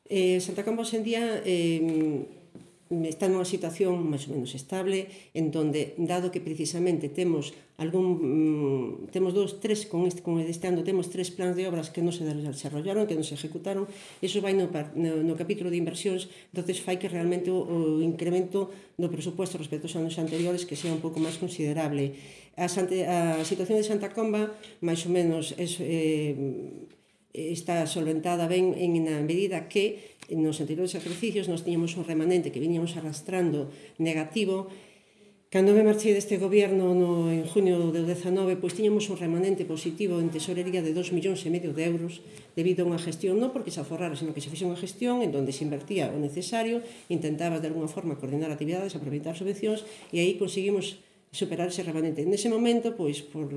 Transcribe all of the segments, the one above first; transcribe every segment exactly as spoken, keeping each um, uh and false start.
Eh, Santa Comba, hoxe en día, eh, está nunha situación máis ou menos estable, en donde, dado que precisamente temos algún mm, temos dous, tres, con este, con este ano temos tres plans de obras que non se desarrollaron, que non se ejecutaron, iso vai no, no, no capítulo de inversións, entonces fai que realmente o, o incremento do presupuesto respecto aos anos anteriores que sea un pouco máis considerable. A, Sante, a situación de Santa Comba, máis ou menos, é, eh, está solventada ben en na medida que nos anteriores exercicios nos tiñamos un remanente que viñamos arrastrando negativo. Cando me marchei deste goberno no, en junio do dezanove, pois tiñamos un remanente positivo en tesorería de dos millóns e medio de euros debido a unha gestión, non porque se aforrara, sino que se fixe unha gestión en donde se invertía o necesario, intentaba de alguna forma coordinar actividades, aproveitar subvencións, e aí conseguimos superar ese remanente. Nese momento, pois, por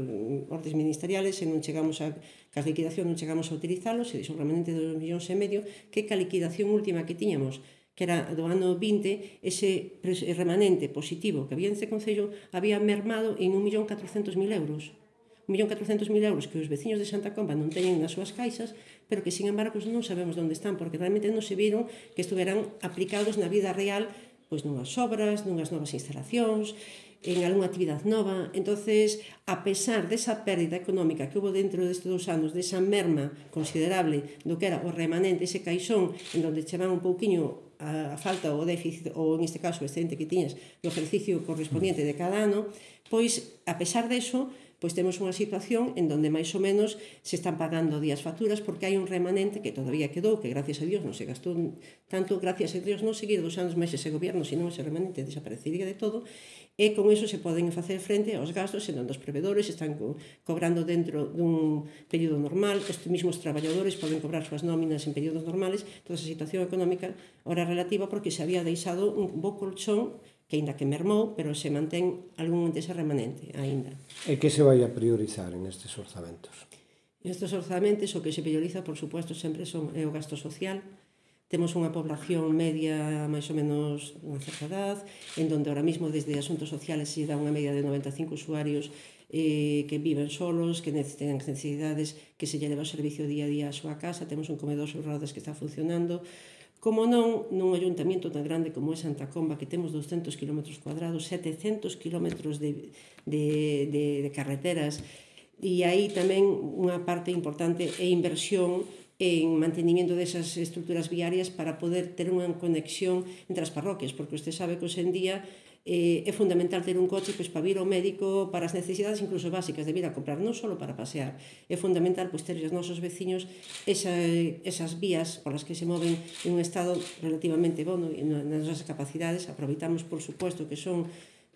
ordes ministeriales, se non chegamos a, ca liquidación non chegamos a utilizalos, se dixo un remanente de dos millóns e medio, que ca liquidación última que tiñamos, que era do ano vinte, ese remanente positivo que había neste Concello había mermado en un millón catrocentos mil euros. un millón catrocentos mil euros que os veciños de Santa Comba non teñen nas súas caixas, pero que, sin embargo, non sabemos onde están, porque realmente non se viron que estuveran aplicados na vida real, pois nunhas obras, nunhas novas instalacións, en algunha actividade nova. Entonces, a pesar desa pérdida económica que hubo dentro destes dous anos, desa merma considerable do que era o remanente, ese caixón en donde chevan un pouquiño a falta ou o déficit, ou en este caso o excedente que tiñas do exercicio correspondiente de cada ano, pois, a pesar deso, pois temos unha situación en donde máis ou menos se están pagando días facturas porque hai un remanente que todavía quedou, que gracias a Dios non se gastou tanto, gracias a Dios non seguir dos anos máis ese goberno, senón ese remanente desaparecería de todo, e con iso se poden facer frente aos gastos en onde os provedores están co cobrando dentro dun período normal, os mesmos traballadores poden cobrar súas nóminas en períodos normales, toda esa situación económica ora relativa porque se había deixado un bo colchón que aínda que mermou, pero se mantén algún dese remanente aínda. E que se vai a priorizar en estes orzamentos? Nestes orzamentos o que se prioriza, por suposto, sempre son, é o gasto social. Temos unha población media máis ou menos unha certa edad, en donde ahora mismo desde Asuntos Sociales se dá unha media de noventa e cinco usuarios eh, que viven solos, que ten necesidades, que se lle leva o servicio día a día á súa casa, temos un comedor sobre rodas que está funcionando. Como non, nun ayuntamiento tan grande como é Santa Comba, que temos doscentos kilómetros cuadrados, setecentos kilómetros de, de, de, de carreteras, e aí tamén unha parte importante é inversión en mantenimiento desas estructuras viarias para poder ter unha conexión entre as parroquias, porque usted sabe que hoxe en día eh, é fundamental ter un coche pois, para vir ao médico, para as necesidades incluso básicas de vir a comprar, non só para pasear. É fundamental pois, ter os nosos veciños esa, esas vías por as que se moven en un estado relativamente bueno nas nosas capacidades. Aproveitamos, por suposto, que son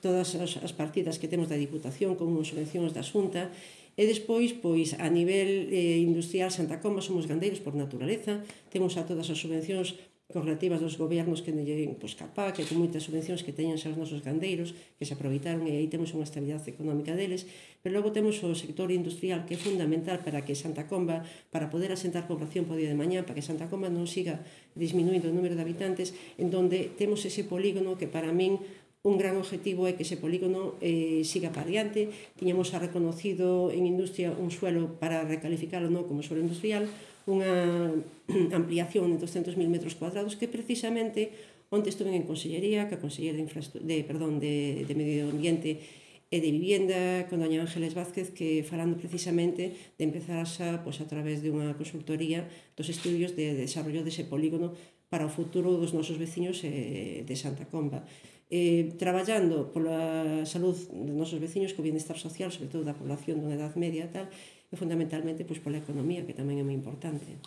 todas as partidas que temos da Diputación como subvencións da Xunta. E despois, pois, a nivel eh, industrial, Santa Comba somos gandeiros por naturaleza, temos a todas as subvencións correlativas dos gobernos que non lleguen pois, capá, que con moitas subvencións que teñen xa os nosos gandeiros, que se aproveitaron e aí temos unha estabilidade económica deles, pero logo temos o sector industrial que é fundamental para que Santa Comba, para poder asentar población po día de mañá, para que Santa Comba non siga disminuindo o número de habitantes, en donde temos ese polígono que para min un gran objetivo é que ese polígono eh, siga para adiante. Tiñamos a reconocido en industria un suelo para recalificarlo non como suelo industrial, unha ampliación de doscentos mil metros cuadrados que precisamente onte estuve en Consellería, que a Conselleira de, de, perdón, de, de Medio Ambiente e de Vivienda con doña Ángeles Vázquez, que falando precisamente de empezar xa pois, a través de unha consultoría dos estudios de, de desarrollo dese polígono para o futuro dos nosos veciños eh, de Santa Comba. Eh, traballando pola salud dos nosos veciños, co bienestar social, sobre todo da población dunha edad media e tal, e fundamentalmente pois, pola economía, que tamén é moi importante.